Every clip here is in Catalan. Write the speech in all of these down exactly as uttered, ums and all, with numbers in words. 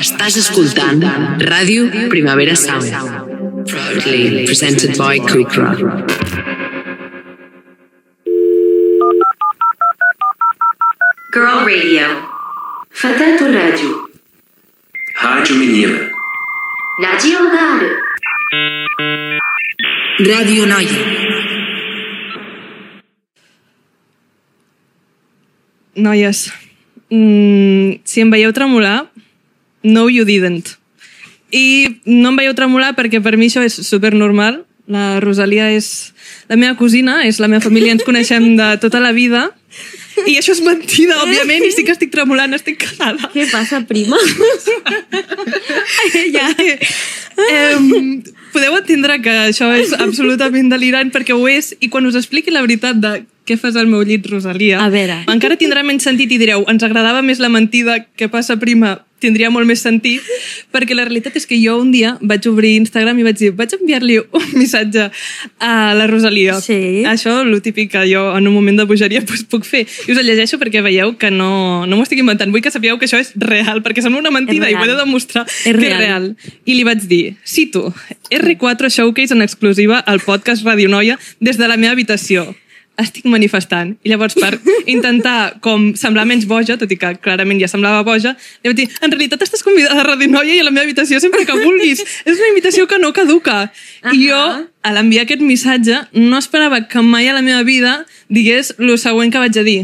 Estàs escoltant Ràdio Primavera Sound, proudly presented by Kukra. Girl Radio. فتاة الراديو. Rádio Menina. راديو غار. Ràdio Noia. Noies, mm, si em veieu tremolar, no you didn't. I no em veieu tremolar perquè per mi això és supernormal. La Rosalia és la meva cosina, és la meva família, ens coneixem de tota la vida. I això és mentida, òbviament, i sí que estic tremolant, estic calada. Què passa, prima? ja. eh, podeu entendre que això és absolutament delirant perquè ho és, i quan us expliqui la veritat de què fas al meu llit, Rosalia, a veure, encara tindrà menys sentit i direu, ens agradava més la mentida, què passa, prima? Tindria molt més sentit, perquè la realitat és que jo un dia vaig obrir Instagram i vaig dir, vaig enviar-li un missatge a la Rosalia. Sí. Això, el típic que jo en un moment de bogeria pues, puc fer. I us el llegeixo perquè veieu que no, no m'ho estic inventant. Vull que sapigueu que això és real, perquè sembla una mentida i ho he de demostrar és que real. és real. I li vaig dir, cito, erre quatre Showcase en exclusiva al podcast Radio Noia des de la meva habitació. Estic manifestant. I llavors, per intentar com semblar menys boja, tot i que clarament ja semblava boja, li vaig dir, en realitat estàs convidada a Ràdio Noia i a la meva habitació sempre que vulguis. És una invitació que no caduca. Uh-huh. I jo, a l'enviar aquest missatge, no esperava que mai a la meva vida digués el següent que vaig a dir.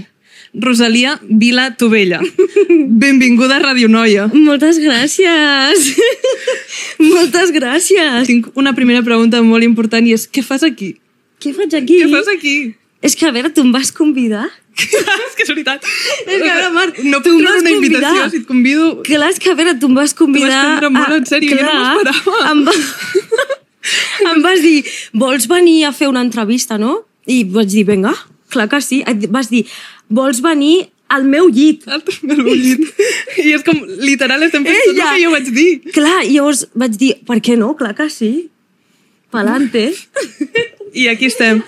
Rosalia Vila Tovella. Benvinguda a Ràdio Noia. Moltes gràcies. Moltes gràcies. Tinc una primera pregunta molt important i és, què fas aquí? Què faig aquí? Què fas aquí? És que, a veure, tu em vas convidar? és que és veritat. És que, a veure, Marc, no tu puc em treure vas una invitació convidar. si et convido. Clar, és que, a veure, tu em vas convidar... Tu vas prendre molt en sèrio, jo no m'ho esperava. Em, va... em vas dir, vols venir a fer una entrevista, no? I vaig dir, vinga, clar que sí. Vas dir, vols venir al meu llit. Al meu llit. I és com, literal, estem fent tot el que jo vaig dir. Clar, i llavors vaig dir, per què no? Clar que sí. Palante. I aquí estem.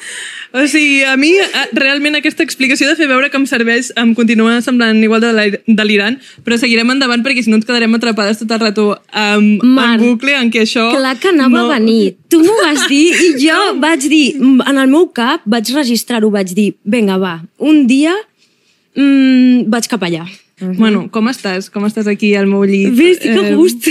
O sigui, a mi realment aquesta explicació de fer veure que em serveix em continua semblant igual de delirant, però seguirem endavant perquè si no ens quedarem atrapades tot el rato um, en bucle en què això... Clar que anava no... a venir. Tu m'ho vas dir i jo vaig dir, en el meu cap vaig registrar-ho, vaig dir, vinga, va, un dia mmm, vaig cap allà. Uh-huh. Bueno, com estàs? Com estàs aquí al meu llit? Bé, estic a gust.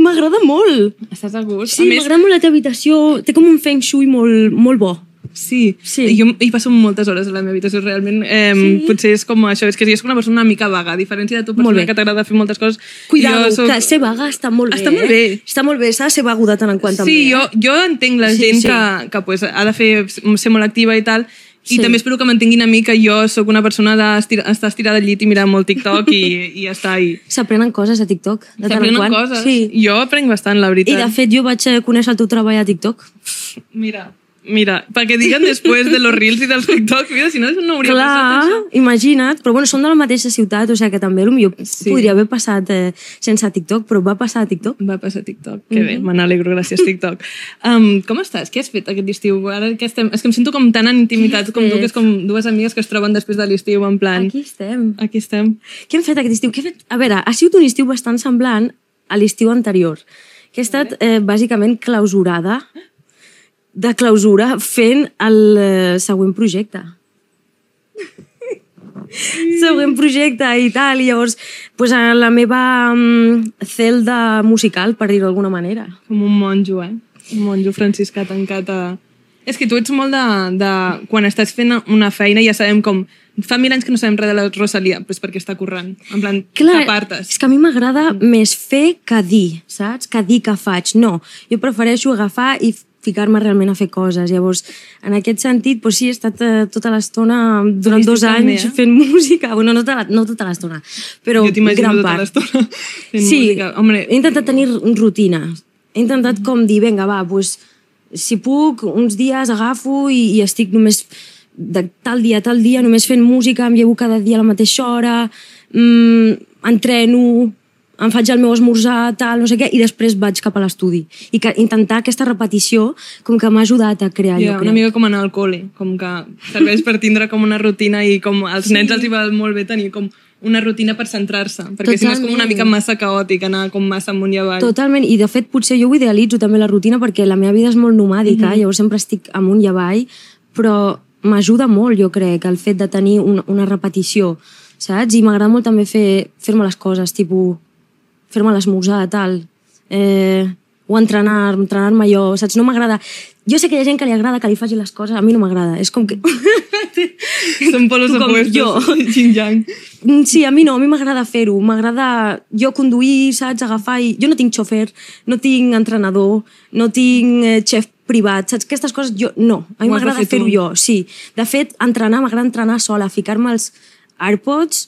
M'agrada molt. Estàs a gust? Sí, m'agrada molt la teva habitació. Té com un feng shui molt, molt bo. Sí. sí, jo hi passo moltes hores a la meva habitació, realment. Eh, sí. Potser és com això, és que jo soc una persona una mica vaga, a diferència de tu, persona que t'agrada fer moltes coses. Cuidado, soc... que ser vaga està molt bé. Està molt bé. Eh? Està molt bé, s'ha de ser vago de tant en quant sí, també. Sí, jo, jo entenc la sí, gent sí. que, que pues, ha de fer, ser molt activa i tal, i sí. també espero que m'entenguin a mi que jo sóc una persona d'estar estirada al llit i mirar molt TikTok i, i ja està. I... S'aprenen coses a TikTok, de tant en quant. Coses. Sí. Jo aprenc bastant, la veritat. I de fet jo vaig conèixer el teu treball a TikTok. Mira... Mira, perquè diguen després de los reels i dels TikTok, mira, si no, no hauria Clar, passat això. Imagina't, però bueno, són de la mateixa ciutat, o sigui que també potser sí. podria haver passat eh, sense TikTok, però va passar a TikTok. Va passar a TikTok, que mm-hmm. bé, me n'alegro, gràcies TikTok. Um, com estàs? Què has fet aquest estiu? Ara que estem... És que em sento com tan en intimitat com tu, que és com dues amigues que es troben després de l'estiu, en plan... Aquí estem. Aquí estem. Què hem fet aquest estiu? Què he fet? A veure, ha sigut un estiu bastant semblant a l'estiu anterior, que he estat eh, bàsicament clausurada de clausura fent el uh, següent projecte. següent projecte i tal, i llavors pues, a la meva um, celda musical, per dir-ho d'alguna manera. Com un monjo, eh? Un monjo franciscà tancat a... És que tu ets molt de, de... Quan estàs fent una feina ja sabem com... Fa mil anys que no sabem res de la Rosalia, pues perquè està currant. En plan, t'apartes. És que a mi m'agrada mm. més fer que dir, saps? Que dir que faig. No, jo prefereixo agafar i ficar-me realment a fer coses. Llavors, en aquest sentit, pues sí, he estat uh, tota l'estona, durant dos anys, també, eh? fent música. Bueno, no tota, no tota l'estona, però jo t'imagino gran tota part. l'estona fent sí, música. Hombre. He intentat tenir rutina. He intentat com dir, vinga, va, pues, si puc, uns dies agafo i, i estic només de tal dia a tal dia, només fent música, em llevo cada dia a la mateixa hora, mmm, entreno, em faig el meu esmorzar, tal, no sé què, i després vaig cap a l'estudi. I que intentar aquesta repetició com que m'ha ajudat a crear yeah, allò. Una mica com anar al col·le, com que serveix per tindre com una rutina i com als sí. nens els hi va molt bé tenir com una rutina per centrar-se, perquè si no és com una mica massa caòtic, anar com massa amunt i avall. Totalment, i de fet potser jo ho idealitzo també la rutina perquè la meva vida és molt nomàdica, mm-hmm. llavors sempre estic amunt i avall, però m'ajuda molt, jo crec, el fet de tenir una, una repetició, saps? I m'agrada molt també fer, fer-me les coses, tipus, fer-me l'esmorzar, tal, eh, o entrenar, entrenar-me jo, saps? No m'agrada... Jo sé que hi ha gent que li agrada que li faci les coses, a mi no m'agrada, és com que... Són polos opuestos, yin-yang. Sí, a mi no, a mi m'agrada fer-ho, m'agrada jo conduir, saps, agafar i... Jo no tinc xofer, no tinc entrenador, no tinc eh, xef privat, saps? Aquestes coses jo no, a mi m'agrada fer-ho jo, sí. De fet, entrenar, m'agrada entrenar sola, ficar-me els AirPods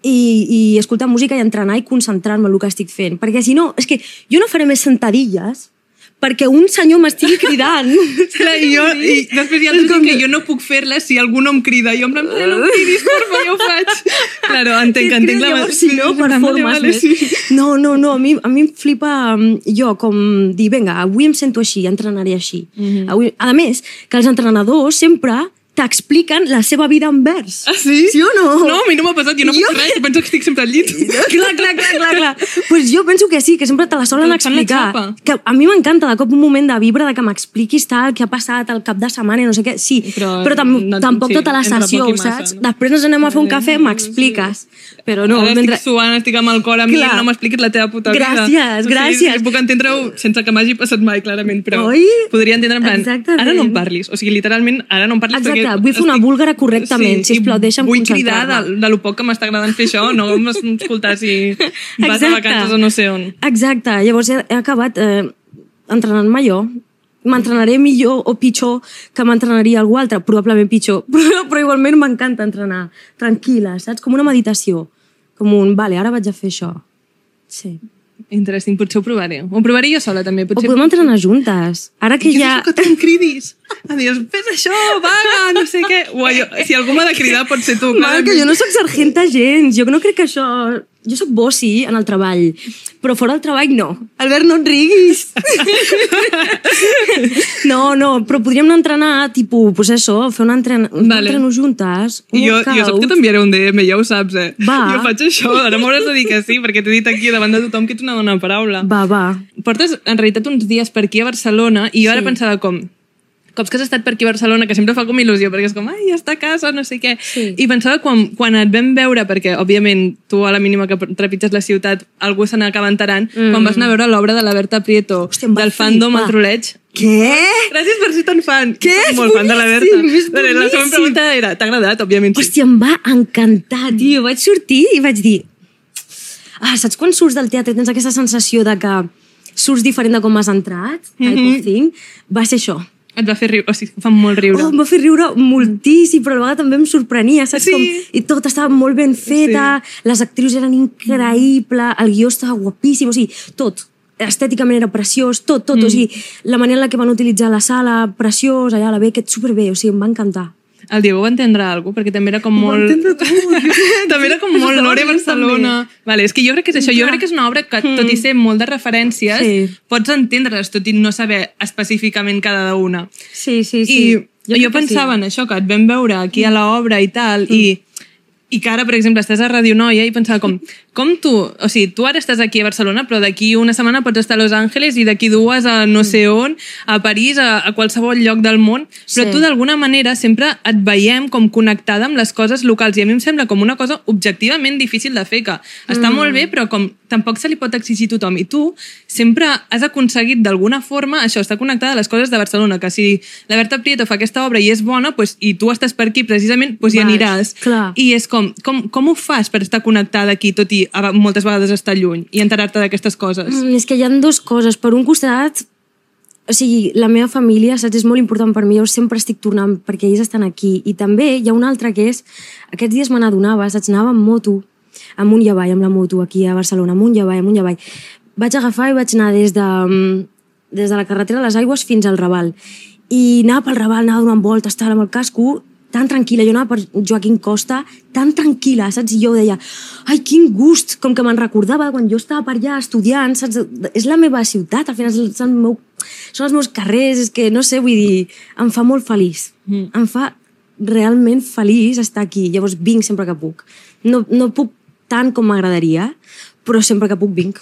i, i escoltar música i entrenar i concentrar-me en el que estic fent, perquè si no, és que jo no faré més sentadilles perquè un senyor m'estigui cridant. Clar, i, jo, i després hi ha altres que jo no puc fer-les si algú no em crida. Jo em plan, no em cridis, porfa, jo ho faig. Claro, entenc, entenc la... Llavors, si no, performes més. No, no, no, a mi, a mi em flipa jo com dir, vinga, avui em sento així, entrenaré així. Mm-hmm. Avui... A més, que els entrenadors sempre t'expliquen la seva vida en vers. Ah, sí? Sí o no? No, a mi no m'ha passat, jo no jo... puc res, penso que estic sempre al llit. clar, clar, clar, clar, clar. Pues jo penso que sí, que sempre te la solen explicar. Que a mi m'encanta de cop un moment de vibra, de que m'expliquis tal, què ha passat el cap de setmana i no sé què. Sí, però, però tam no, tampoc sí, tota la sessió, saps? No? Després ens anem a fer un cafè, m'expliques. Però no, ara mentre... estic suant, estic amb el cor a mi, clar. No m'expliquis la teva puta vida. Gràcies, gràcies. Sí, puc entendre-ho sense que m'hagi passat mai, clarament, però Oi? Podria entendre en plan, exactament. Ara no em parlis. O sigui, literalment, ara no em parlis exacte, perquè... vull fer una búlgara correctament, sí, sisplau, deixa'm vull cridar de, de lo poc que m'està agradant fer això, no m'escoltar si vas a vacances o no sé on. Exacte, llavors he, he acabat eh, entrenant-me jo. M'entrenaré millor o pitjor que m'entrenaria algú altre, probablement pitjor, però, però igualment m'encanta entrenar tranquil·la, saps? Com una meditació, com un, vale, ara vaig a fer això. Sí. Interesting, potser ho provaré. Ho provaré jo sola, també. Potser... O podem entrenar juntes. Ara que I ja... que tu em cridis. Adiós, fes això, vaga, no sé què. Uai, jo, si algú m'ha de cridar, pot ser tu. Mal, que jo no soc sargenta gens. Jo no crec que això... Jo soc bossi en el treball, però fora del treball no. Albert, no et riguis. no, no, però podríem anar a entrenar, tipus, pues això, fer un entren... vale. entreno juntes. I jo, jo saps que t'enviaré un D M, ja ho saps, eh? Va. Jo faig això, ara m'hauràs de dir que sí, perquè t'he dit aquí davant de tothom que ets una dona paraula. Va, va. Portes, en realitat, uns dies per aquí a Barcelona i jo ara sí. pensava com... cops que has estat per aquí a Barcelona, que sempre fa com il·lusió, perquè és com, ai, ja està a casa, no sé què. Sí. I pensava, quan, quan et vam veure, perquè, òbviament, tu a la mínima que trepitges la ciutat, algú se n'acaba enterant, mm. quan vas anar a veure l'obra de la Berta Prieto, hòstia, del fandom al troleig. Què? Gràcies per ser tan fan. Què? Soc molt fan de la Berta. És la segona pregunta era, t'ha agradat, òbviament? Sí. Hòstia, em va encantar, tio. Vaig sortir i vaig dir... Ah, saps quan surts del teatre tens aquesta sensació de que surts diferent de com has entrat? Type mm-hmm. of thing. Va ser això. Et va fer riure, o sigui, fa molt riure. Oh, em va fer riure moltíssim, però a la vegada també em sorprenia, saps? Sí. Com, i tot estava molt ben feta, sí. Les actrius eren increïbles, el guió estava guapíssim, o sigui, tot. Estèticament era preciós, tot, tot. Mm. O sigui, la manera en la que van utilitzar la sala, preciós, allà a la Beckett, superbé, o sigui, em va encantar. El Diego va entendre alguna cosa, perquè també era com molt... Va entendre tot. també era com molt Lore Barcelona. Vale, és que jo crec que és això. Jo crec que és una obra que, tot i ser molt de referències, sí. pots entendre-les, tot i no saber específicament cada una. Sí, sí, sí. I jo, jo pensava sí. en això, que et vam veure aquí a l'obra i tal, mm. i, i que ara, per exemple, estàs a Radio Noia i pensava com, com tu, o sigui, tu ara estàs aquí a Barcelona, però d'aquí una setmana pots estar a Los Angeles i d'aquí dues a no sé on, a París, a, a qualsevol lloc del món, però sí. tu d'alguna manera sempre et veiem com connectada amb les coses locals i a mi em sembla com una cosa objectivament difícil de fer, que està mm. molt bé, però com tampoc se li pot exigir a tothom. I tu sempre has aconseguit d'alguna forma això, estar connectada a les coses de Barcelona, que si la Berta Prieto fa aquesta obra i és bona, pues, i tu estàs per aquí precisament, pues, hi aniràs. Clar. I és com, com, com ho fas per estar connectada aquí, tot i a, moltes vegades estar lluny i enterar-te d'aquestes coses? Mm, és que hi ha dues coses. Per un costat, o sigui, la meva família, saps, és molt important per mi, jo sempre estic tornant perquè ells estan aquí. I també hi ha una altra que és, aquests dies me n'adonava, saps, anava amb moto, amunt i avall, amb la moto, aquí a Barcelona, amunt i avall, amunt i avall. Vaig agafar i vaig anar des de, des de la carretera de les Aigües fins al Raval. I anava pel Raval, anava donant voltes, estava amb el casco, tan tranquil·la, jo anava per Joaquim Costa, tan tranquil·la, saps? I jo deia, ai, quin gust, com que me'n recordava quan jo estava per allà estudiant, saps? És la meva ciutat, al final és el meu, són els meus carrers, és que no sé, vull dir, em fa molt feliç. Mm. Em fa realment feliç estar aquí, llavors vinc sempre que puc. no, no puc tant com m'agradaria, però sempre que puc vinc.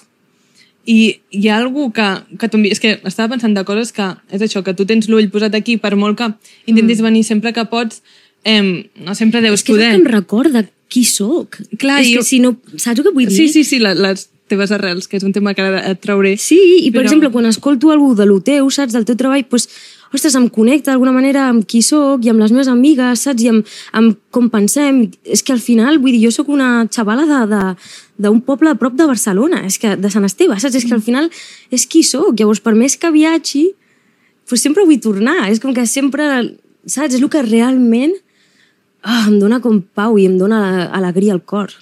I hi ha algú que, que tu... És que estava pensant de coses que... És això, que tu tens l'ull posat aquí, per molt que intentis mm. venir sempre que pots, eh, no sempre deus és que poder. És que em recorda qui sóc. Clar, és jo... que si no... Saps el que vull dir? Sí, sí, sí, les, les teves arrels, que és un tema que ara et trauré. Sí, i per però... exemple, quan escolto algú de lo teu, saps, del teu treball, doncs, ostres, em connecta d'alguna manera amb qui sóc i amb les meves amigues, saps, i amb, amb com pensem. És que al final, vull dir, jo sóc una xavala de, de, d'un poble a prop de Barcelona, és que de Sant Esteve, saps? És que al final és qui sóc. Llavors, per més que viatgi, doncs sempre vull tornar. És com que sempre, saps, és el que realment oh, em dona com pau i em dona alegria al cor.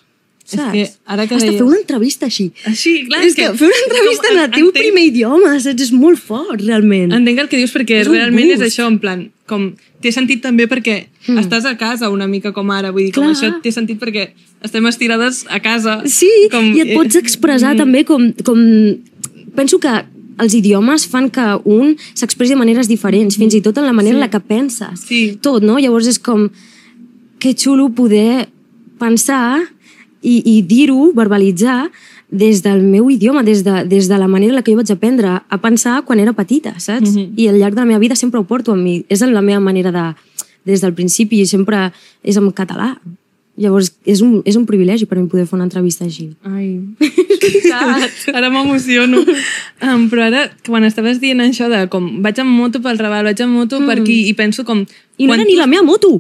Saps? És que ara que Hasta deies... fer una entrevista així. Així, clar. És que, que fer una entrevista en el teu entenc... primer idioma, saps? És molt fort, realment. Entenc el que dius perquè és realment gust. és això, en plan, com té sentit també perquè mm. estàs a casa una mica com ara, vull dir, clar. Com això té sentit perquè estem estirades a casa. Sí, com... i et pots expressar mm. també com, com... Penso que els idiomes fan que un s'expressi de maneres diferents, fins i tot en la manera sí. en la que penses. Sí. Tot, no? Llavors és com... Que xulo poder pensar i, i dir-ho, verbalitzar, des del meu idioma, des de, des de la manera en la que jo vaig aprendre a pensar quan era petita, saps? Mm-hmm. I al llarg de la meva vida sempre ho porto amb mi. És la meva manera de... Des del principi sempre és en català. Llavors, és un, és un privilegi per mi poder fer una entrevista així. Ai, ara m'emociono. Um, però ara, quan estaves dient això de com vaig amb moto pel Raval, vaig amb moto mm. per aquí, i penso com... I no era ni la meva moto!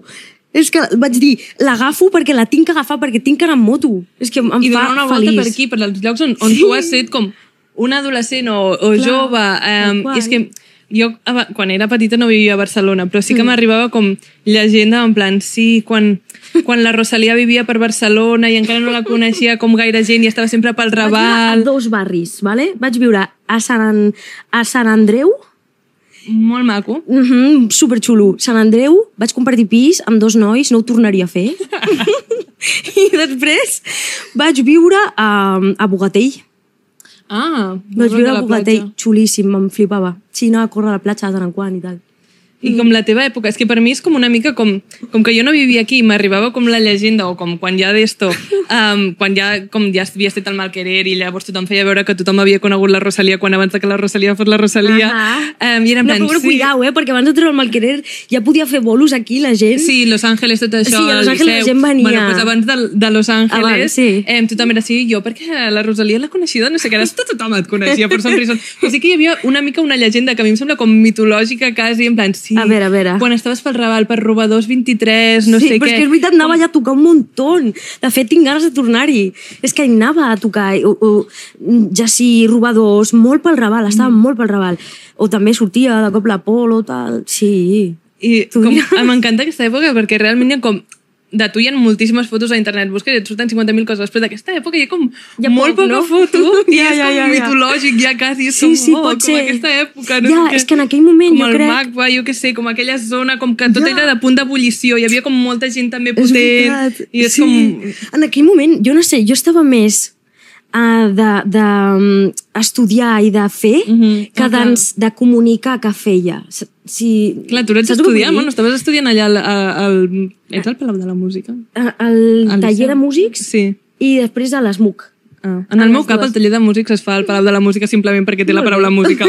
És que vaig dir, l'agafo perquè la tinc que agafar, perquè tinc que anar amb moto. És que em I fa donar una feliç. volta per aquí, per als llocs on, on sí. tu has set com un adolescent o, o clar, jove. Um, I és que jo, quan era petita, no vivia a Barcelona, però sí que mm. m'arribava com llegenda, en plan, sí, quan, quan la Rosalia vivia per Barcelona i encara no la coneixia com gaire gent i estava sempre pel Raval. Vaig viure a dos barris, vale? Vaig viure a Sant, a Sant Andreu, molt maco. Mm -hmm, superxulo. Sant Andreu, vaig compartir pis amb dos nois, no ho tornaria a fer. I després vaig viure a, a Bogatell. Ah, vaig viure a Bogatell, xulíssim, em flipava. Sí, anava a córrer a la platja de tant en quant i tal. I com la teva època, és que per mi és com una mica com, com que jo no vivia aquí i m'arribava com la llegenda o com quan ja d'esto, um, quan ja, com ja havia estat el Malquerer i llavors tothom feia veure que tothom havia conegut la Rosalia quan abans que la Rosalia fos la Rosalia. Um, i era en plan, no, però sí. cuidao, eh, perquè abans de treure el Malquerer ja podia fer bolos aquí la gent. Sí, Los Ángeles, tot això. Sí, a Los Ángeles la gent venia. Bueno, pues abans de, de Los Ángeles, abans, sí. eh, tothom era així, jo perquè la Rosalia l'ha coneixida, no sé què, ara tothom et coneixia per some reason. Però sí que hi havia una mica una llegenda que a mi em sembla com mitològica quasi, en plan, sí. A veure, a veure. Quan estaves pel Raval, per Robadors vint-i-tres, no sí, sé què. Sí, però és que és veritat, anava ja a tocar un muntó. De fet, tinc ganes de tornar-hi. És que anava a tocar, o, o, ja sí, Robadors, molt pel Raval, estava mm. molt pel Raval. O també sortia de cop l'Apolo, tal, sí. I com, m'encanta aquesta època perquè realment hi ha com... De tu hi ha moltíssimes fotos a internet, busques i et surten cinquanta mil coses, però d'aquesta època hi ha com hi ha molt poc, poca no? foto i ja, és ja, com ja, mitològic, ja quasi, és sí, com, sí, oh, com ser. aquesta època. No ja, sé és que en aquell moment com jo el crec... Magba, jo què sé, com aquella zona, com que tot ja. era de punt d'ebullició, hi havia com molta gent també potent. És I és sí. com... En aquell moment, jo no sé, jo estava més uh, de, de um, estudiar i de fer mm -hmm. que ah, de, de comunicar que feia. Si, clar, tu ets estudiant, bueno, estaves estudiant allà al, al, ets al Palau de la Música? Al, al taller de músics sí. i després a l'ESMUC. Ah. En el meu cap, el taller de músics es fa al Palau de la Música simplement perquè té la paraula música.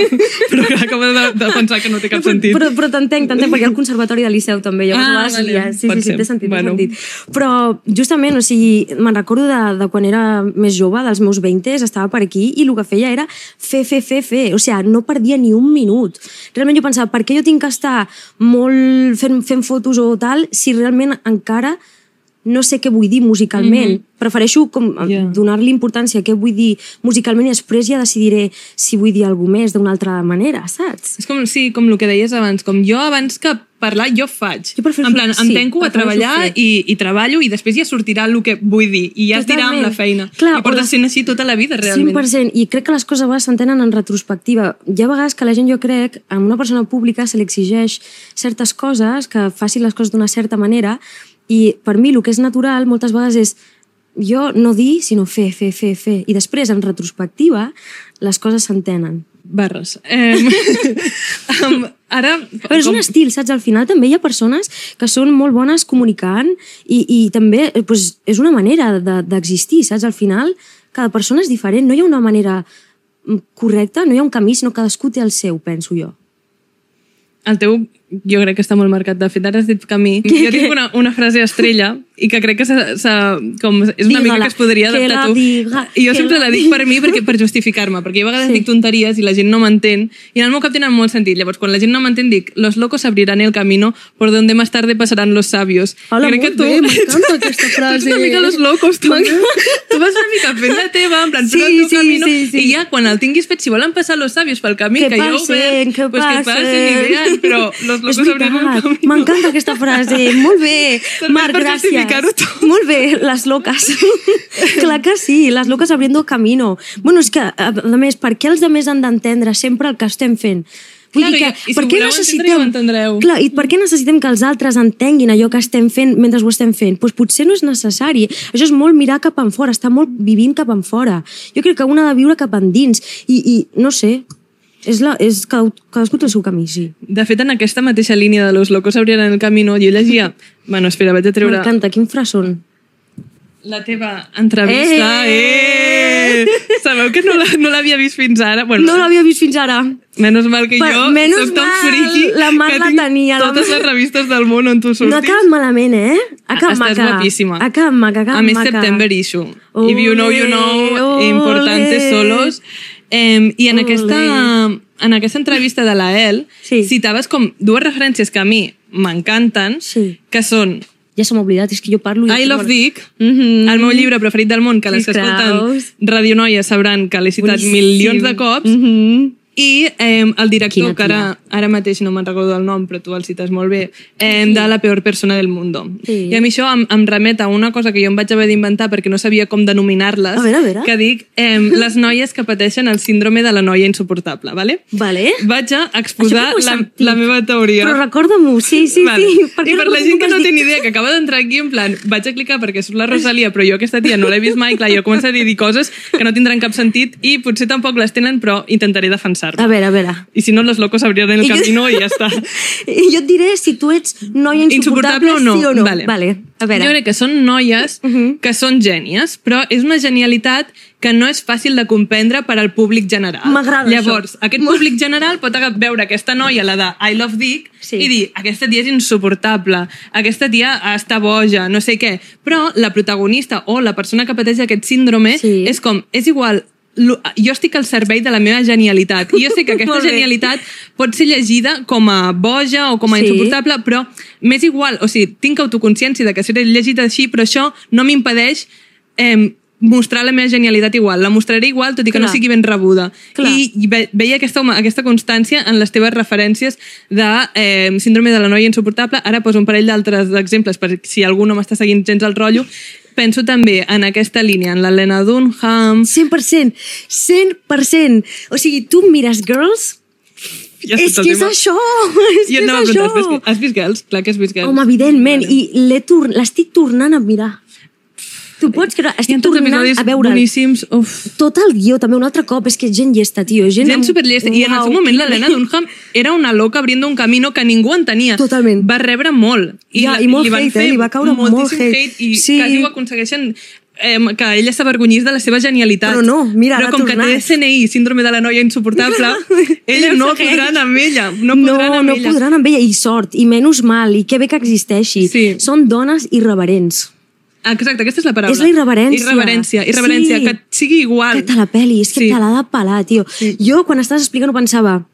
Però acabo de, de pensar que no té cap no, però, sentit. Però, però t'entenc, t'entenc, perquè al Conservatori de Liceu també. Jo, ah, vale. ja, sí, sí, sí, té sentit, bueno. té sentit. Però justament, o sigui, me'n recordo de, de quan era més jove, dels meus veintes, estava per aquí i el que feia era fer, fer, fer, fer. O sigui, no perdia ni un minut. Realment jo pensava, per què jo tinc que estar molt fent, fent fotos o tal, si realment encara no sé què vull dir musicalment. Mm-hmm. Prefereixo com yeah. donar-li importància a què vull dir musicalment i després ja decidiré si vull dir alguna més d'una altra manera, saps? És com, sí, com el que deies abans, com jo abans que parlar jo faig. Jo prefereixo, en plan, sí, em tanco a treballar i, i treballo i després ja sortirà el que vull dir i ja es dirà amb la feina. Clar, i portes sent així tota la vida, realment. cent per cent. I crec que les coses a vegades s'entenen en retrospectiva. Hi ha vegades que la gent, jo crec, a una persona pública se li exigeix certes coses, que faci les coses d'una certa manera. I per mi el que és natural moltes vegades és jo no dir, sinó fer, fer, fer, fer. I després, en retrospectiva, les coses s'entenen. Barres. Eh, um, ara... Però és com... un estil, saps? Al final també hi ha persones que són molt bones comunicant i, i també pues, és una manera d'existir, de, saps? Al final, cada persona és diferent. No hi ha una manera correcta, no hi ha un camí, sinó cadascú té el seu, penso jo. El teu, jo crec que està molt marcat. De fet, ara has dit camí. Jo tinc una, una frase estrella i que crec que s'ha, s'ha, com, és una mica que es podria adaptar tu. Diga, I jo sempre la, la dic per mi, perquè, per justificar-me, perquè jo a vegades sí. dic tonteries i la gent no m'entén, i en el meu cap tenen molt sentit. Llavors, quan la gent no m'entén, dic, los locos abrirán el camino por donde más tarde pasarán los sabios. Hola, crec que tu, bé, m'encanta aquesta frase. Tu ets una mica los locos, tu, tu vas una mica fent la teva, en plan, sí, el teu sí, camino, sí, sí. i ja, quan el tinguis fet, si volen passar los sabios pel camí, que, que jo ho veig, que pues que passin i vean, però los locos abriran el camino. M'encanta aquesta frase, molt bé. Marc, per gràcies. Molt bé, les loques. Clar que sí, les loques abriendo camino. Bueno, és que, a, a més, per què els altres han d'entendre sempre el que estem fent? Vull claro, dir que, i, i per si què voleu necessitem, entendre, ja ho entendreu. clar, i per què necessitem que els altres entenguin allò que estem fent mentre ho estem fent? Doncs potser no és necessari. Això és molt mirar cap enfora, estar molt vivint cap enfora. Jo crec que un ha de viure cap endins. I, i no sé, és la, és, cadascú té el seu camí, sí. De fet, en aquesta mateixa línia de los locos abriran el camino, jo llegia... Bueno, espera, vaig a treure... M'encanta, quin frasón. La teva entrevista, eh! eh! Sabeu que no l'havia no vist fins ara? Bueno, no l'havia vist fins ara. Menys mal que jo soc tan friqui la Mar que la tinc tenia, totes la... les revistes del món on tu surtis. No ha quedat malament, eh? Ha quedat Estàs maca. guapíssima. Ha quedat maca, ha quedat A més, maca. September issue. Ole, If you know, you know, ole. importantes solos. Eh, I en Ole. aquesta, en aquesta entrevista de la El, sí. citaves com dues referències que a mi m'encanten, sí. que són Ja se m'ha oblidat, és que jo parlo... I Love Dick, mm -hmm. el meu llibre preferit del món, que les que escolten Radio Noia sabran que l'he citat Boníssim. milions de cops, mm -hmm. i eh, el director, Quina que ara, ara mateix no me'n recordo el nom, però tu el cites molt bé, eh, de La peor persona del mundo. Sí. I a mi això em, em remet a una cosa que jo em vaig haver d'inventar perquè no sabia com denominar-les, a veure, a veure. que dic eh, les noies que pateixen el síndrome de la noia insuportable, vale? Vale. Vaig a exposar la, sentit. la meva teoria. Però recorda-m'ho, sí, sí, Vale. sí. Per I per no la gent que no dir? té ni idea, que acaba d'entrar aquí, en plan, vaig a clicar perquè surt la Rosalia, però jo aquesta tia no l'he vist mai, clar, jo començaré a dir coses que no tindran cap sentit i potser tampoc les tenen, però intentaré defensar-me. A veure, a veure. I si no, los locos abrirán el I jo- camino i ja està. I jo et diré si tu ets noia insuportable, Insuportable o no? sí o no. Vale. Vale. A veure. Jo crec que són noies Uh -huh. que són gènies, però és una genialitat que no és fàcil de comprendre per al públic general. M'agrada Llavors, això. aquest públic general pot aga- veure aquesta noia, la de I Love Dick, Sí. i dir, aquesta tia és insuportable, aquesta tia està boja, no sé què. Però la protagonista o la persona que pateix aquest síndrome Sí. és com, és igual, lo- jo estic al servei de la meva genialitat i jo sé que aquesta Molt bé. genialitat pot ser llegida com a boja o com a Sí. insuportable, però m'és igual, o sigui, tinc autoconsciència de que seré llegida així, però això no m'impedeix eh, mostrar la meva genialitat igual. La mostraré igual, tot i que Clar. no sigui ben rebuda. Clar. I, i ve, veia aquesta, home, aquesta constància en les teves referències de eh, síndrome de la noia insuportable. Ara poso un parell d'altres exemples per si algú no m'està seguint gens el rotllo. Penso també en aquesta línia, en l'Helena Dunham... cent per cent. cent per cent. O sigui, tu mires Girls... Ja és que és això! És Jo que és anava a això! preguntar, has vist, has vist Girls? Clar que has vist Girls. Home, evidentment. Vale. I l'he tor- l'estic tornant a mirar. Tu pots creure? Hi ha Estic tots tornant episodis a veure'l. boníssims. Uf. Tot el guió, també, un altre cop. És que gent llesta, tio. Gent, Gent amb- superllesta. I en el seu Uau, moment quina- l'Helena Dunham era una loca abriendo un camino que ningú entenia. Totalment. Va rebre molt. Ja, la- i molt li van hate, fer eh? Li va caure molt moltíssim hate. I Sí. quasi ho aconsegueixen eh, que ella s'avergonyís de la seva genialitat. Però no, mira, Però ha com que tornat. té S N I, síndrome de la noia insuportable, ella Ella no segueix. podran amb ella. No No, podran amb no ella. podran amb ella. I sort, i menys mal, i que bé que existeixi. Sí. Són dones irreverents. Exacte, aquesta és la paraula. És la irreverència. Irreverència, irreverència, Sí. que sigui igual. Que te la peli, és que Sí. te l'ha de pelar, tio. Sí. Jo, quan estaves explicant, ho pensava,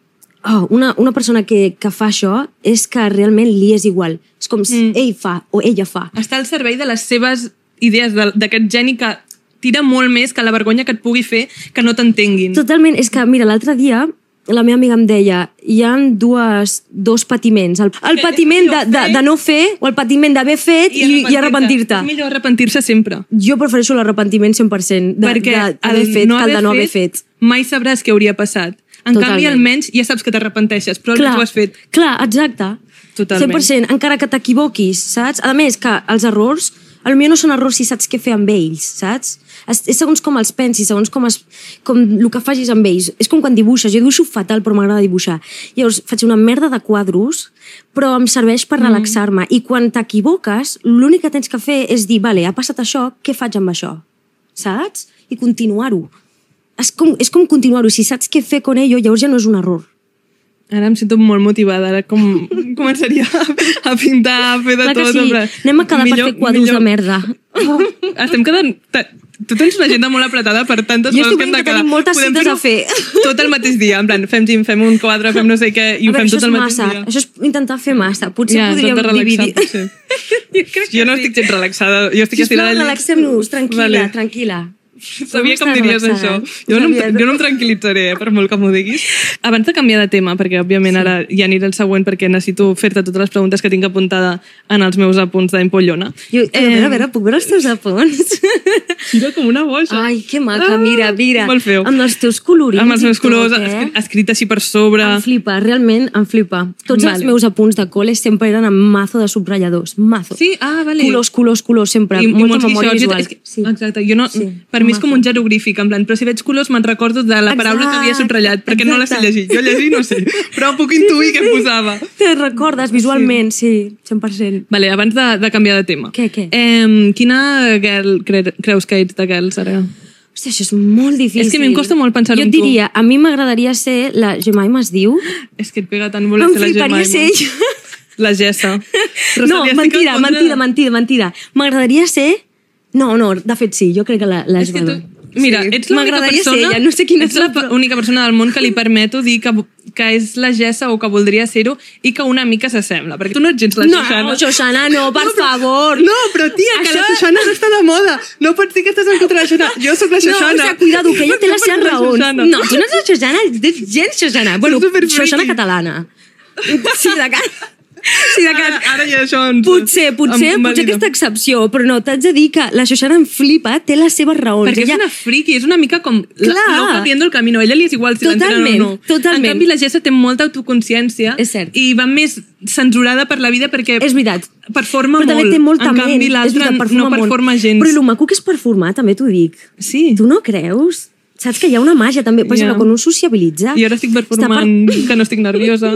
oh, una, una persona que, que fa això és que realment li és igual. És com si Mm. ell fa o ella fa. Està al servei de les seves idees, de- d'aquest geni que tira molt més que la vergonya que et pugui fer que no t'entenguin. Totalment, és que, mira, l'altre dia la meva amiga em deia, hi ha dues, dos patiments. El, el Que- patiment de, de, fer. de no fer o el patiment d'haver fet i, i arrepentir-te. És millor arrepentir-se sempre. Jo prefereixo l'arrepentiment cent per cent de, Perquè de, d'haver el fet no que el de haver no haver fet. mai sabràs què hauria passat. En Totalment. canvi, almenys ja saps que t'arrepenteixes, però Clar, ho has fet. clar, exacte. Totalment. cent per cent, encara que t'equivoquis, saps? A més, que els errors Potser no són errors si saps què fer amb ells, saps? És, és segons com els pensis, segons com, es, com el que facis amb ells. És com quan dibuixes. Jo dibuixo fatal, però m'agrada dibuixar. Llavors, faig una merda de quadros, però em serveix per relaxar-me. I quan t'equivoques, l'únic que tens que fer és dir, vale, ha passat això, què faig amb això? Saps? I continuar-ho. És com, és com continuar-ho. Si saps què fer con ello, llavors ja no és un error. Ara em sento molt motivada. Ara com començaria a pintar, a fer de Clar que tot. sí. Anem a quedar millor, per fer quadros millor... de merda. Oh, estem quedant... Tu tens una agenda molt apretada per tantes jo coses que hem de quedar. Jo estic quedar. tenim moltes Podem cites a fer. Tot el mateix dia. En plan, fem gym, fem un quadre, fem no sé què, i ho fem tot el mateix massa. dia. Això és intentar fer massa. Potser ja, podríem dividir. Potser. jo, jo no estic gens relaxada. Jo estic estirada. Sisplau, relaxem-nos. Tranquil·la, vale. tranquil·la. Sabia que em diries relaxada. això. Jo no, jo no em tranquil·litzaré, eh, per molt que m'ho diguis. Abans de canviar de tema, perquè òbviament sí. ara ja aniré al següent perquè necessito fer-te totes les preguntes que tinc apuntada en els meus apunts d'Empollona. Jo, eh, a veure, a veure, puc veure els teus apunts? Mira, com una boja. Ai, que maca, mira, mira. Molt feo. Amb els teus colorins. Amb els meus colors, tot, eh? escrit així per sobre. Em flipa, realment em flipa. Tots vale. els meus apunts de col·le sempre eren amb mazo de subratlladors. Mazo. Sí, ah, vale. Colors, colors, colors, sempre. I, molta i memòria visual. És que, sí. Exacte. Jo no, sí, per mi és com un jeroglífic, en plan, però si veig colors me'n recordo de la paraula Exacte. que havia subratllat, perquè Exacte. no la sé llegir. Jo llegir no sé, però puc intuir què em posava. Te recordes visualment, sí, sí cent per cent. Vale, abans de, de canviar de tema. Què, què? Eh, quina girl cre creus que ets de girls, ara? Hòstia, això és molt difícil. És que a mi em costa molt pensar en tu. Jo et diria, a mi m'agradaria ser la Jemima es diu. És que et pega tant voler ser la Jemima. Em fliparia ser ella. La Gessa. No, mentida, mentida, mentida, mentida. M'agradaria ser... No, no, de fet sí, jo crec que la, la és que tu... Mira, sí. ets l'única persona, ella, no sé quina ets l'única persona del món que li permeto dir que, que és la Gessa o que voldria ser-ho i que una mica s'assembla, perquè tu no ets gens la no, Xoxana. No, Xoxana, no, per no, però, favor. No, però tia, que Això... la Xoxana no està de moda. No pots dir que estàs en contra de la Xoxana. Jo sóc la Xoxana. No, o sigui, cuidado, que ella té les seves raons. No, tu no ets la Xoxana, ets gens Xoxana. Bueno, Xoxana catalana. Sí, de cara... Sí, de ara, ara ja això ens... Potser, potser, em, potser aquesta excepció, però no, t'haig de dir que la Xoxana em flipa, té les seves raons. Perquè ella... és una friki, és una mica com la, loca viendo el camino. A ella li és igual si l'entenen o no. Totalment, En canvi, la Gessa té molta autoconsciència i va més censurada per la vida perquè... És veritat. Performa però molt. Però també té molt en talent. canvi, l'altre no performa gens. Però el maco que és performar, també t'ho dic. Sí. Tu no creus? Saps que hi ha una màgia també, per exemple, yeah. quan un sociabilitza... I ara estic performant per... que no estic nerviosa.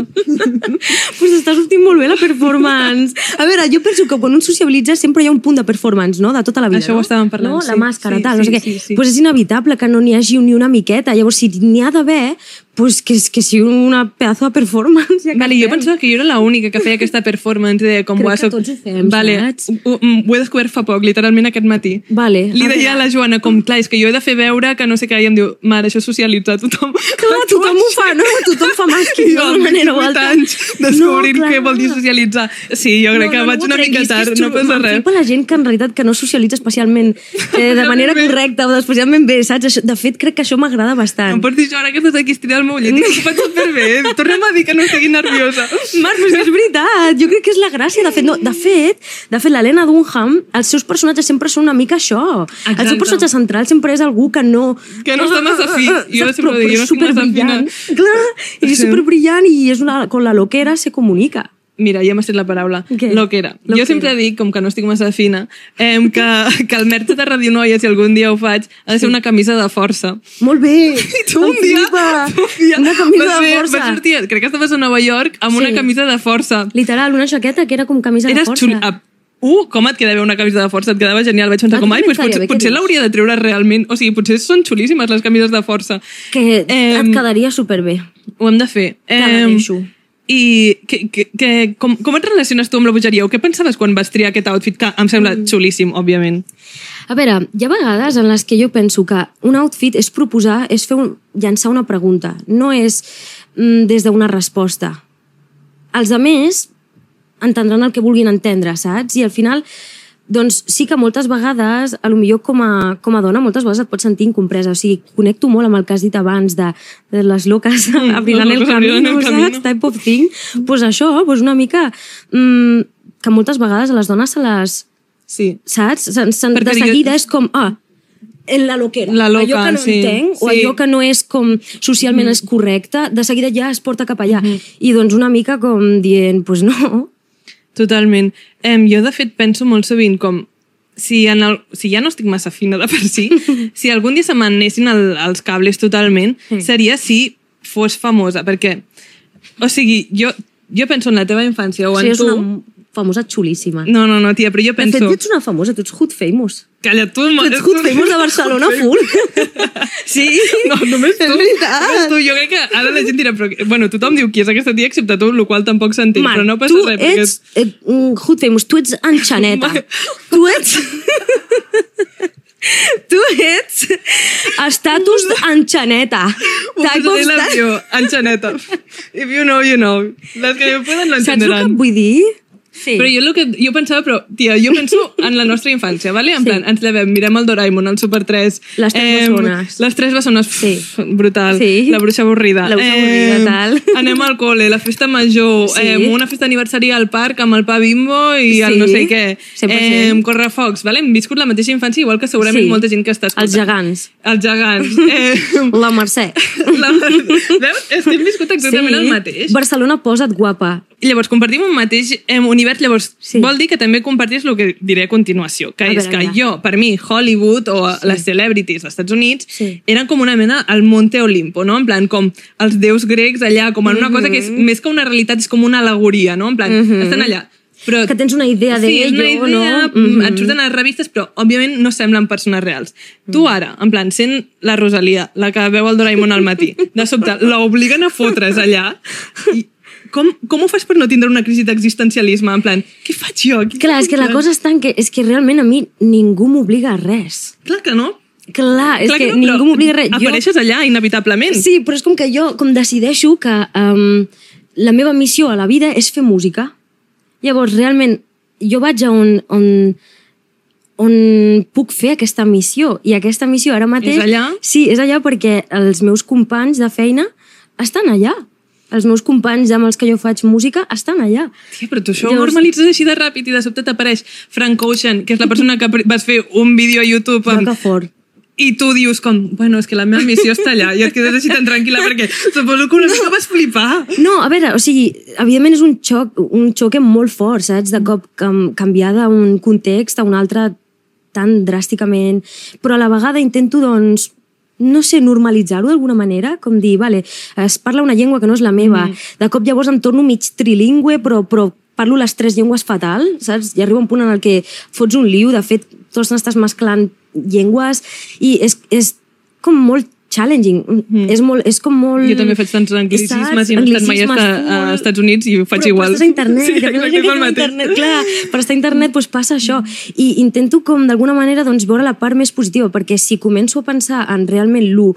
Pues està sortint molt bé la performance. A veure, jo penso que quan un sociabilitza sempre hi ha un punt de performance, no?, de tota la vida, Això no? ho estàvem parlant, no? sí. La màscara, sí, tal, sí, no sé què. Sí, sí. Pues és inevitable que no n'hi hagi ni una miqueta. Llavors, si n'hi ha d'haver, pues que, que sigui una pedazo de performance. Ja vale, jo pensava que jo era l'única que feia aquesta performance de com Crec que soc... tots ho fem, vale. saps? Ho, ho he descobert fa poc, literalment aquest matí. Vale. Li deia a la Joana, com, clar, és que jo he de fer veure que no sé què, i em diu, mare, això és socialitzar, tothom... Clar, tothom ho fa, no? Tothom fa màsquing d'una manera o altra. anys descobrint no, què vol dir socialitzar. Sí, jo crec no, no, que vaig no una mica tard, no passa res. M'enflipa la gent que en realitat que no socialitza especialment eh, de manera correcta o especialment bé, saps? De fet, crec que això m'agrada bastant. Em pots dir, Joana, que estàs aquí estirant el meu llet, i ho faig superbé. Tornem a dir que no estigui nerviosa. Marc, però és veritat, jo crec que és la gràcia. De fet, no, de fet, de fet l'Helena Dunham, els seus personatges sempre són una mica això. Exacte. El seu personatge central sempre és algú que no... Que no està massa fi. Jo sempre ho dic, jo no estic massa fina. Clar, i és superbrillant i és una, con la loquera se comunica. Mira, ja m'ha estat la paraula. Què? Loquera. Loquera. Jo sempre dic, com que no estic massa fina, eh, que, que el merch de Radio Noia, si algun dia ho faig, ha de ser una camisa de força. Molt bé! I tu un dia, un dia una camisa vas de fer, força. Vas sortir, crec que estaves a Nova York amb sí. una camisa de força. Literal, una jaqueta que era com camisa Eres de força. Xul... Ah, uh, com et quedava una camisa de força? Et quedava genial. Vaig pensar ah, com, ai, pues, potser, bé, potser l'hauria de treure realment. O sigui, potser són xulíssimes les camises de força. Que eh, et quedaria superbé. Ho hem de fer. Eh, I que, que, que, com, com et relaciones tu amb la bogeria? O què pensaves quan vas triar aquest outfit? Que em sembla mm. xulíssim, òbviament. A veure, hi ha vegades en les que jo penso que un outfit és proposar, és fer un, llançar una pregunta. No és mm, des d'una resposta. Els altres entendran el que vulguin entendre, saps? I al final, doncs sí que moltes vegades, a lo millor com a, com a dona, moltes vegades et pots sentir incompresa. O sigui, connecto molt amb el que has dit abans de, de les loques mm, abrilant el camino, saps? Type of thing. Doncs pues això, pues una mica... Mm, que moltes vegades a les dones se les... Sí. Saps? Se, se, de seguida jo... és com... Ah, en la loquera. La loca, allò que no sí. entenc, sí. o allò que no és com socialment mm. és correcte, de seguida ja es porta cap allà. Mm. I doncs una mica com dient, pues no... Totalment. Eh, jo, de fet, penso molt sovint com si, en el, si ja no estic massa fina de per si, si algun dia se m'anessin el, els cables totalment, Sí. seria si fos famosa, perquè, o sigui, jo, jo penso en la teva infància o O en sigui, és tu... una famosa xulíssima. No, no, no, tia, però jo De penso... fet, ets una famosa, tu ets Hood Famous. Calla, tu... Tu ets Hood Famous de Barcelona full. Sí, No, només tu. és veritat. Només tu. Jo crec que ara la gent dirà, però... Bueno, tothom diu qui és aquesta tia, excepte tu, el qual tampoc s'entén, Marc, però no passa tu res. perquè ets eh, mm, Hood Famous, tu ets enxaneta. Marc. Tu ets... tu ets estatus enxaneta. Ho posaré a l'avió, enxaneta. If you know, you know. Les que no poden no Saps el que entenderan. et vull dir? Sí. Però jo, el que, jo pensava, però, tia, jo penso en la nostra infància, ¿vale? En Sí. plan, ens llevem, mirem el Doraemon, el Super tres... Les tres bessones. Les tres bessones, Sí. pff, brutal. Sí. La bruixa avorrida. La bruixa avorrida, tal. Anem al col·le, la festa major, Sí. eh, una festa d'aniversari al parc amb el pa Bimbo i el Sí, no sé què. cent per cent. Eh, correfocs, ¿vale? Hem viscut la mateixa infància, igual que segurament Sí. molta gent que està escoltant. Els gegants. Els gegants. Eh, La Mercè. la... Veus? Estem viscut exactament el mateix. Barcelona, posa't guapa. I llavors compartim un mateix eh, univers, llavors Sí. vol dir que també compartís el que diré a continuació, que A és veure, que a veure. jo, per mi, Hollywood o sí. les celebrities als Estats Units Sí. eren com una mena al Monte Olimpo, no? En plan, com els déus grecs allà, com en una cosa que és més que una realitat, és com una alegoria, no? En plan, Mhm. estan allà. Però, Que tens una idea sí, és una d'ello, idea, no? Mhm. et surten a les revistes, però òbviament no semblen persones reals. Tu ara, en plan, sent la Rosalia, la que veu el Doraemon al matí, de sobte l'obliguen a fotre's allà i com, com ho fas per no tindre una crisi d'existencialisme? En plan, què faig jo aquí? Clar, és que la cosa està en que, és que realment a mi ningú m'obliga a res. Clar que no. Clar, és Clar que, no, ningú però m'obliga a res. Apareixes allà, inevitablement. Sí, però és com que jo com decideixo que um, la meva missió a la vida és fer música. Llavors, realment, jo vaig a on, on, on puc fer aquesta missió. I aquesta missió ara mateix... És allà? Sí, és allà perquè els meus companys de feina estan allà. Els meus companys amb els que jo faig música estan allà. Tia, però tu això Llavors- ho normalitzes així de ràpid i de sobte t'apareix Frank Ocean, que és la persona que vas fer un vídeo a YouTube Jo amb... que fort. I tu dius com, bueno, és que la meva missió està allà i et quedes així tan tranquil·la perquè suposo que una mica vas flipar. No, a veure, o sigui, evidentment és un xoc, un xoc molt fort, saps? De cop cam, canviar d'un context a un altre tan dràsticament, però a la vegada intento, doncs, no sé, normalitzar-ho d'alguna manera, com dir, vale, es parla una llengua que no és la meva, mm. de cop llavors em torno mig trilingüe, però, però parlo les tres llengües fatal, saps? I arriba un punt en el que fots un liu, de fet, tots n'estàs mesclant llengües, i és, és com molt challenging, mm. és, molt, és com molt... Jo també faig tants anglicismes i no he estat mai a, a Estats Units i ho faig però, igual. Però estàs a internet, sí, que exacte, que és el a mateix. internet, clar, per estar a internet doncs passa això. I intento com d'alguna manera doncs, veure la part més positiva, perquè si començo a pensar en realment lo,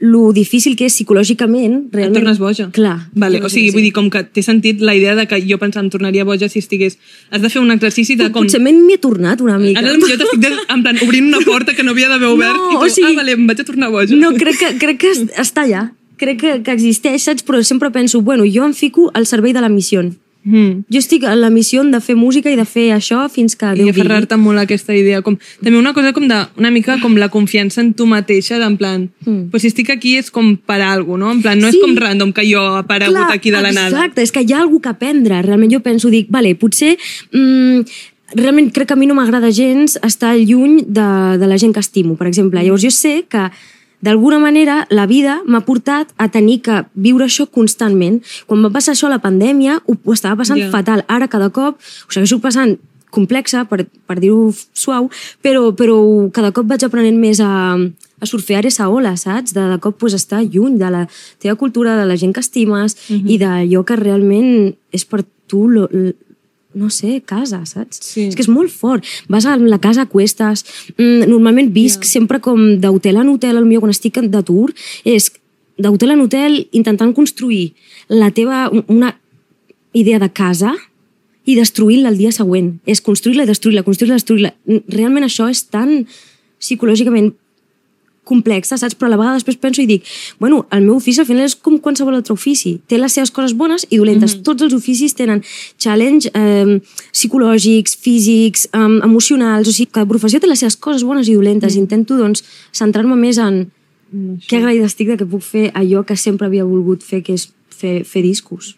lo difícil que és psicològicament, Et realment... tornes boja. Clar. Vale, jo o sigui, sí. vull dir, com que té sentit la idea de que jo pensava em tornaria boja si estigués... Has de fer un exercici de com... Potser m'he tornat una mica. Ara jo t'estic de, en plan obrint una porta que no havia d'haver obert No, i tu, o sigui- ah, vale, em vaig a tornar boja. No, crec que, crec que es- està allà. Crec que, que existeix, saps? Però sempre penso, bueno, jo em fico al servei de la missió. Mm. Jo estic en la missió de fer música i de fer això fins que I Déu digui. aferrar-te molt a aquesta idea. Com, també una cosa com de, una mica com la confiança en tu mateixa, en plan, Mm. pues si estic aquí és com per alguna cosa, no? En plan, no Sí. és com random que jo he aparegut Clar, aquí de la nada. Exacte, és que hi ha alguna que aprendre. Realment jo penso, dic, vale, potser... Mm, realment crec que a mi no m'agrada gens estar lluny de, de la gent que estimo, per exemple. Llavors jo sé que d'alguna manera la vida m'ha portat a tenir que viure això constantment. Quan va passar això a la pandèmia ho, ho estava passant Ja. fatal. Ara cada cop ho segueixo passant complexa, per, per dir-ho suau, però, però cada cop vaig aprenent més a, a surfear esa ola, saps? De, de cop pues, estar lluny de la teva cultura, de la gent que estimes Mhm. i d'allò que realment és per tu, lo, lo, no sé, casa, saps? Sí. És que és molt fort. Vas a la casa a cuestes, mm, normalment visc Ja. sempre com d'hotel en hotel, potser quan estic de tour, és d'hotel en hotel intentant construir la teva, una idea de casa i destruir-la el dia següent. És construir-la i destruir-la, construir-la i destruir-la. Realment això és tan psicològicament complexa, saps? Però a la vegada després penso i dic, bueno, el meu ofici al final és com qualsevol altre ofici. Té les seves coses bones i dolentes. Mm-hmm. Tots els oficis tenen challenge eh, psicològics, físics, eh, emocionals, o sigui, cada professió té les seves coses bones i dolentes. Mm. Intento, doncs, centrar-me més en Mm, que agraïda estic de que puc fer allò que sempre havia volgut fer, que és fer, fer discos.